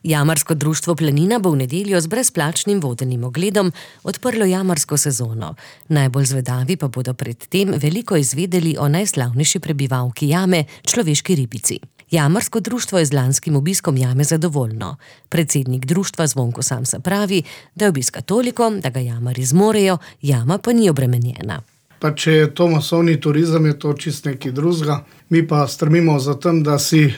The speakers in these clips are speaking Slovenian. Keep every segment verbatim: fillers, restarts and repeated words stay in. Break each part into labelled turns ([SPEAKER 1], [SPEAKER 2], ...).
[SPEAKER 1] Jamarsko društvo Planina bo v nedeljo z brezplačnim vodenim ogledom odprlo jamarsko sezono. Najbolj zvedavi pa bodo pred tem veliko izvedeli o najslavnejši prebivalki jame, človeški ribici. Jamarsko društvo je z lanskim obiskom jame zadovoljno. Predsednik društva Zvonko Samsa pravi, da je obiska toliko, da ga jamarji zmorejo, jama pa ni obremenjena.
[SPEAKER 2] Pa če je to masovni turizem, je to čist nekaj drugega. Mi pa strmimo za tem, da si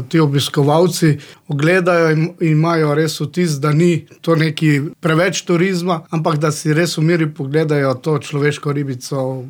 [SPEAKER 2] ti obiskovalci ogledajo in imajo res vtis, da ni to neki preveč turizma, ampak da si res v miri pogledajo to človeško ribico,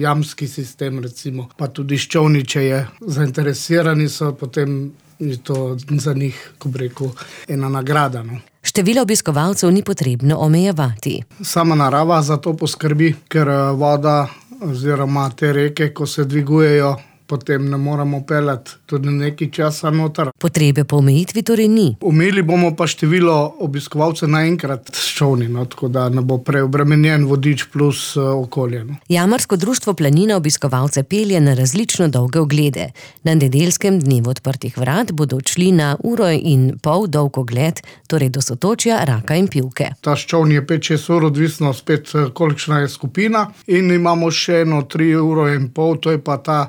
[SPEAKER 2] jamski sistem recimo, pa tudi ščovniče je. Zainteresirani so, potem je to za njih, ko bi rekel, ena nagrada, no.
[SPEAKER 1] Število obiskovalcev ni potrebno omejevati.
[SPEAKER 2] Sama narava za to poskrbi, ker voda oziroma te reke, ko se dvigujejo, potem ne moramo peljati tudi nekaj časa noter.
[SPEAKER 1] Potrebe po omejitvi torej ni.
[SPEAKER 2] Omejili bomo pa število obiskovalcev naenkrat s čolni, no, tako da ne bo preobremenjen vodič plus okolje. No.
[SPEAKER 1] Jamarsko društvo Planina obiskovalce pelje na različno dolge oglede. Na nedeljskem dnevu odprtih vrat bodo odšli na uro in pol dolg ogled, torej do Sotočja, Raka in Pivke.
[SPEAKER 2] Ta ščovn je pet šest ur, odvisno spet kolikšna je skupina, in imamo še eno tri uro in pol, to je pa ta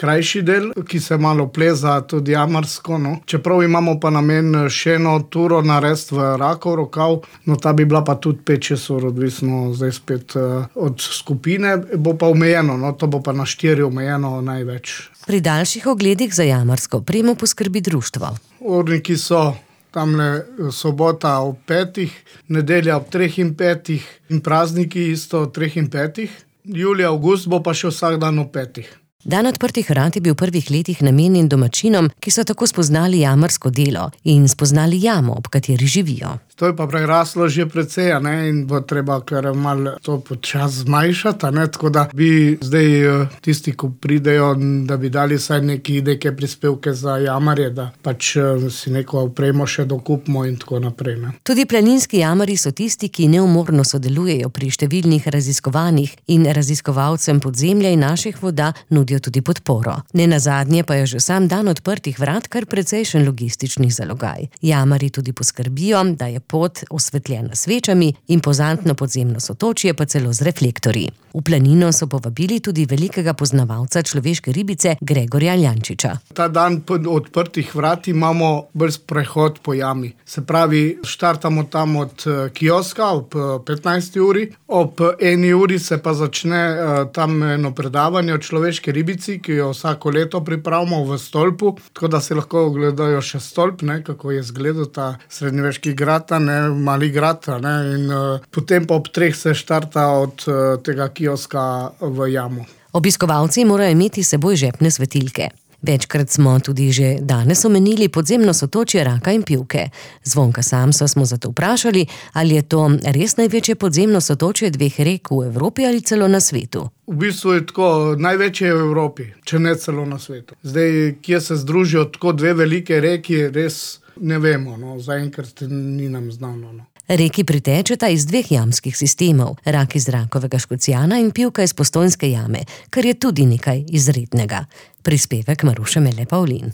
[SPEAKER 2] krajši del, ki se malo pleza tudi jamarsko, no. Čeprav imamo pa namen še eno turo narediti v Rakov rokav, no ta bi bila pa tudi pet šest ur, odvisno zdaj spet od skupine, bo pa omejeno, no to bo pa na štiri omejeno največ.
[SPEAKER 1] Pri daljših ogledih za jamarsko opremo poskrbi društvo.
[SPEAKER 2] Urniki so tamle sobota ob petih, nedelja ob treh in petih in prazniki isto ob treh in petih. Julija, avgust bo pa še vsak dan ob petih.
[SPEAKER 1] Dan odprtih vrat je bil v prvih letih namenjen domačinom, ki so tako spoznali jamarsko delo in spoznali jamo, ob kateri živijo.
[SPEAKER 2] To je pa preraslo že precej, ne, in bo treba kar malo to počas zmanjšati, ne, tako da bi zdaj tisti, ko pridejo, da bi dali vsaj neki neke prispevke za jamarje, da pač si neko opremo še dokupimo in tako naprej, ne.
[SPEAKER 1] Tudi planinski jamarji so tisti, ki neumorno sodelujejo pri številnih raziskovanjih in raziskovalcem podzemlja in naših voda nudijo tudi podporo. Nenazadnje pa je že sam dan odprtih vrat kar precejšen logistični zalogaj. Jamarji tudi poskrbijo, da je pot osvetljena svečami, impozantno podzemno Sotočje pa celo z reflektorji. V Planino so povabili tudi velikega poznavalca človeške ribice Gregorja Ljančiča.
[SPEAKER 2] Ta dan odprtih vrat imamo brz prehod po jami. Se pravi, štartamo tam od kioska ob petnajsti uri, ob eni uri se pa začne tam eno predavanje o človeški ribici, ki jo vsako leto pripravimo v stolpu, tako da se lahko ogledajo še stolp, ne, kako je izgledal ta srednjeveški grad, ne, mali grad, ne, in uh, potem pa ob treh se štarta od uh, tega kioska v jamo.
[SPEAKER 1] Obiskovalci morajo imeti s seboj žepne svetilke. Večkrat smo tudi že danes omenili podzemno Sotočje, Raka in Pivke. Zvonka Samsa smo zato vprašali, ali je to res največje podzemno sotočje dveh rek v Evropi ali celo na svetu.
[SPEAKER 2] V bistvu je tako, največje v Evropi, če ne celo na svetu. Zdaj, kje se združijo tako dve velike reki, res ne vemo, no, zaenkrat ni nam znano, no.
[SPEAKER 1] Reki pritečeta iz dveh jamskih sistemov, Rak iz Rakovega Škocjana in Pivka iz Postojnske jame, kar je tudi nekaj izrednega. Prispevek Maruše Mele Pavlin.